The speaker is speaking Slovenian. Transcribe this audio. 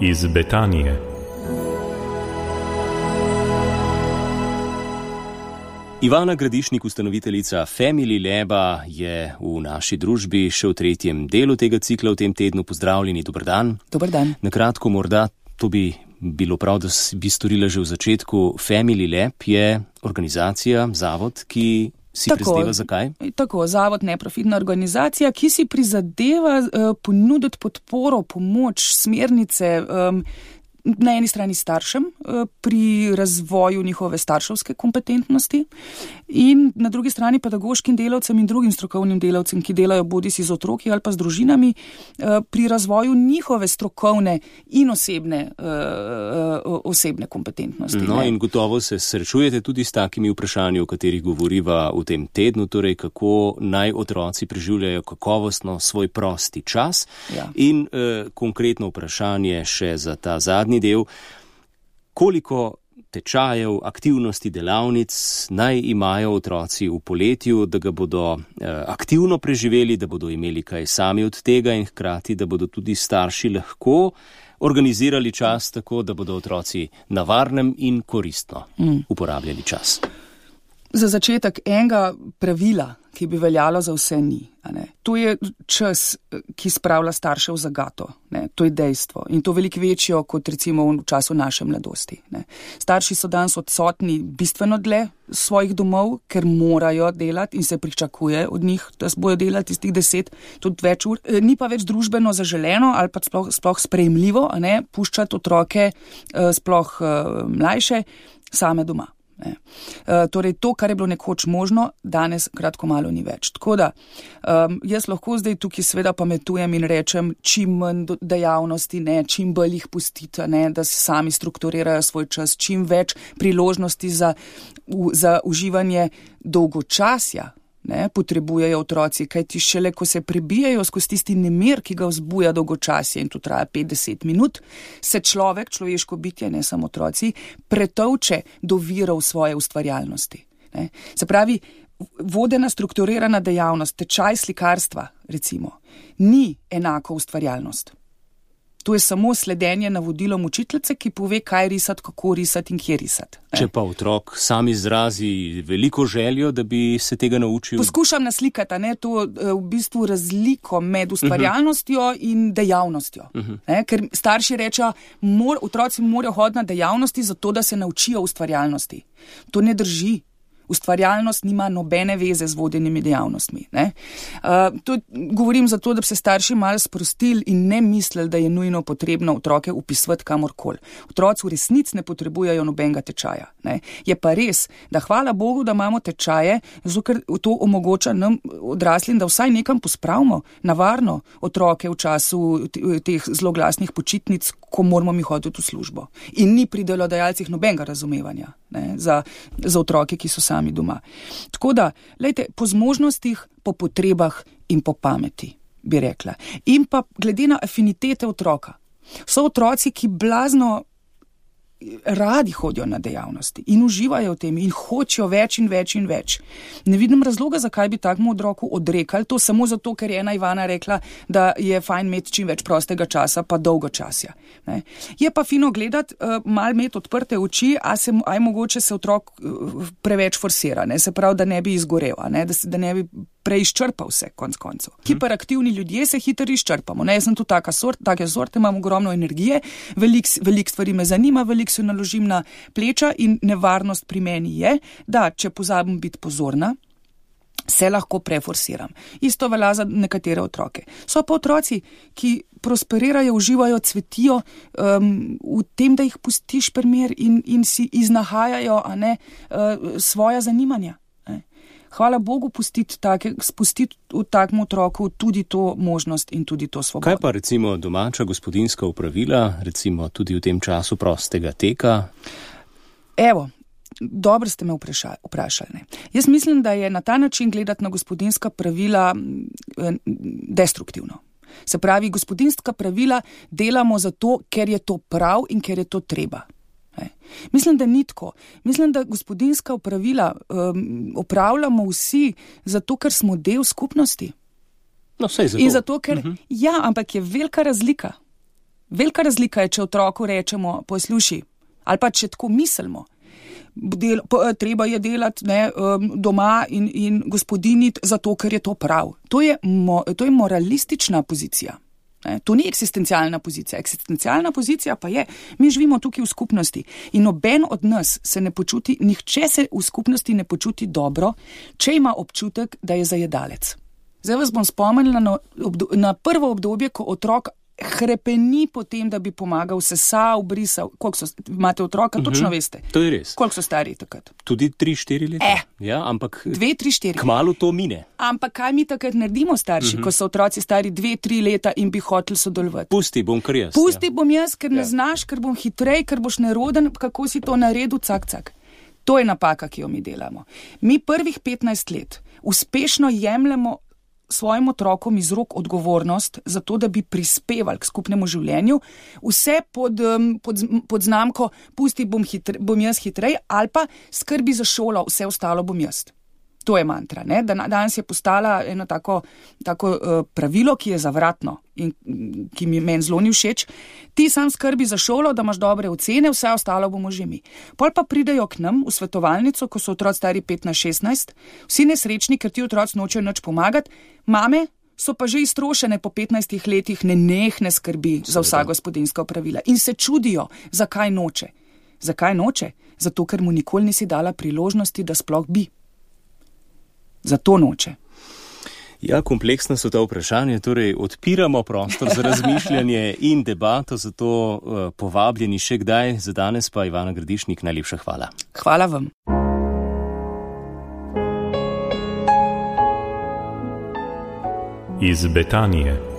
iz Betanije. Ivana Gradišnik, ustanoviteljica Family Laba, je v naši družbi še v tretjem delu tega cikla v tem tednu. Pozdravljeni, dober dan. Dober dan. Na kratko morda, to bi bilo prav, da bi storila že v začetku. Family Lab je organizacija, zavod, ki si prizadeva zakaj? Tako, zavod, neprofitna organizacija, ki si prizadeva ponuditi podporo, pomoč, smernice na eni strani staršem pri razvoju njihove starševske kompetentnosti in na drugi strani pedagoškim delavcem in drugim strokovnim delavcem, ki delajo bodisi z otroki ali pa z družinami, pri razvoju njihove strokovne in osebne kompetentnosti. No, in gotovo se srečujete tudi s takimi vprašanji, o katerih govoriva v tem tednu, torej kako naj otroci preživljajo kakovostno svoj prosti čas. Ja. In konkretno vprašanje še za ta zadnji del, koliko tečajev, aktivnosti, delavnic naj imajo otroci v poletju, da ga bodo aktivno preživeli, da bodo imeli kaj sami od tega in hkrati, da bodo tudi starši lahko organizirali čas tako, da bodo otroci na varnem in koristno uporabljali čas. Za začetek enega pravila, ki bi veljalo za vse ni. To je čas, ki spravlja starše v zagato. To je dejstvo. In to veliko večjo kot recimo v času naše mladosti. Starši so danes odsotni bistveno dlje svojih domov, ker morajo delati in se pričakuje od njih, da bojo delati iz tih 10, tudi več ur. Ni pa več družbeno zaželeno ali pa sploh sprejemljivo, puščati otroke, sploh mlajše, same doma. Torej to, kar je bilo nekoč možno, danes kratko malo ni več. Tako da jaz lahko zdaj tukaj seveda pametujem in rečem, čim manj dejavnosti, čim bolj jih pustite, da si sami strukturirajo svoj čas, čim več priložnosti za uživanje dolgočasja potrebujejo otroci, kajti šele, ko se prebijajo skozi tisti nemir, ki ga vzbuja dolgočasje in to traja 50 minut, se človeško bitje, ne samo otroci, pretovče do virov svoje ustvarjalnosti. Se pravi, vodena strukturirana dejavnost, tečaj slikarstva, recimo, ni enako ustvarjalnost. To je samo sledenje navodilom učiteljice, ki pove, kaj risati, kako risati in kje risati. Če pa otrok sam izrazi veliko željo, da bi se tega naučil? Poskušam naslikati, to v bistvu razliko med ustvarjalnostjo in dejavnostjo. Ker starši rečejo, otroci morajo hoditi na dejavnosti zato, da se naučijo ustvarjalnosti. To ne drži. Ustvarjalnost nima nobene veze z vodenimi dejavnostmi. To govorim zato, da bi se starši malo sprostili in ne mislili, da je nujno potrebno otroke upisovati kamorkoli. Otroci v resnici ne potrebujejo nobenega tečaja. Je pa res, da hvala Bogu, da imamo tečaje, zato ker to omogoča nam odraslim, da vsaj nekam pospravimo na varno otroke v času teh zloglasnih počitnic, ko moramo mi hoditi v službo. In ni pri delodajalcih nobenega razumevanja za otroke, ki so sami doma. Tako da, po zmožnostih, po potrebah in po pameti, bi rekla. In pa glede na afinitete otroka. So otroci, ki blazno radi hodijo na dejavnosti in uživajo v tem in hočejo več in več in več. Ne vidim razloga, zakaj bi takmu otroku odrekali to samo zato, ker je ena Ivana rekla, da je fajn imeti čim več prostega časa pa dolgočasja. Je pa fino gledati, malo imeti odprte oči, aj mogoče se otrok preveč forsira, se pravi, da ne bi izgorel, da ne bi preizčrpal vse, konc koncev. Hiperaktivni ljudje se hitro izčrpamo. Jaz sem tu take sorte, imam ogromno energije, veliko stvari me zanima, veliko se naložim na pleča in nevarnost pri meni je, da če pozabim biti pozorna, se lahko preforsiram. Isto velja za nekatere otroke. So pa otroci, ki prosperirajo, uživajo, cvetijo v tem, da jih pustiš primer in si iznahajajo svoja zanimanja. Hvala Bogu spustiti v takem otroku tudi to možnost in tudi to svobodo. Kaj pa recimo domača gospodinjska opravila, recimo tudi v tem času prostega teka? Evo, dobro ste me vprašali. Jaz mislim, da je na ta način gledati na gospodinjska pravila destruktivno. Se pravi, gospodinjska pravila delamo zato, ker je to prav in ker je to treba. Mislim, da ni tako. Mislim, da gospodinjska opravila opravljamo vsi zato, ker smo del skupnosti. No, saj zato. In zato, ker, ja, ampak je velika razlika. Velika razlika je, če otroku rečemo, posluši, ali pa če tako mislimo, treba je delati doma in gospodiniti zato, ker je to prav. To je moralistična pozicija. To ni eksistencialna pozicija. Eksistencialna pozicija pa je, mi živimo tukaj v skupnosti in noben od nas se ne počuti, nihče se v skupnosti ne počuti dobro, če ima občutek, da je zajedalec. Zdaj vas bom spomnila na prvo obdobje, ko otrok hrepeni po tem, da bi pomagal, sesal, brisal. Koliko imate otroka, točno veste. To je res. Koliko so stari takrat? Tudi 3-4 leta. Ja, ampak 2-3-4. Kmalu to mine. Ampak kaj mi takrat naredimo starši, ko so otroci stari 2-3 leta in bi hoteli sodelovati? Pusti bom kar jaz. Bom jaz, ker ne znaš, ker bom hitrej, ker boš neroden, kako si to naredil, cak. To je napaka, ki jo mi delamo. Mi prvih 15 let uspešno jemljemo svojim otrokom iz rok odgovornost za to, da bi prispevali k skupnemu življenju, vse pod znamko pusti bom jaz hitrej ali pa skrbi za šolo, vse ostalo bom jaz. To je mantra, ne? Danes je postala eno tako pravilo, ki je zavratno in ki mi meni zelo ni všeč. Ti sam skrbi za šolo, da imaš dobre ocene, vse ostalo bomo že mi. Pol pa pridejo k nam v svetovalnico, ko so otroci stari 15-16, vsi nesrečni, ker ti otroci nočejo nič pomagati, mame so pa že iztrošene po 15 letih nenehne skrbi za vsa gospodinjska opravila in se čudijo, zakaj noče. Zakaj noče? Zato, ker mu nikoli nisi dala priložnosti, da sploh bi. Zato noče. Ja, kompleksna so ta vprašanja, torej odpiramo prostor za razmišljanje in debato, zato povabljeni še kdaj, za danes pa Ivana Gradišnik, najlepša hvala. Hvala vam. Iz Betanije.